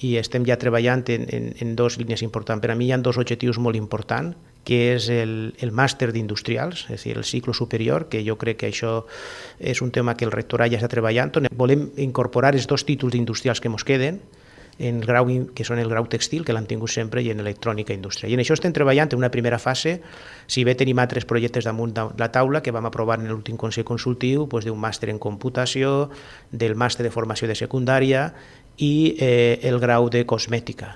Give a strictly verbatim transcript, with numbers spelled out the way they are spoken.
I estem ja treballant en, en, en dues línies importants. Per a mi hi ha dos objectius molt importants, que és el, el màster d'industrials, és a dir, el cicle superior, que jo crec que això és un tema que el rectorat ja està treballant. Volem incorporar els dos títols d'industrials que ens queden, en el grau, que són el grau textil, que l'han tingut sempre, i en electrònica industrial. I en això estem treballant en una primera fase. Si bé tenim altres projectes damunt de la taula que vam aprovar en l'últim Consell Consultiu, doncs d'un màster en computació, del màster de formació de secundària i eh, el grau de cosmètica.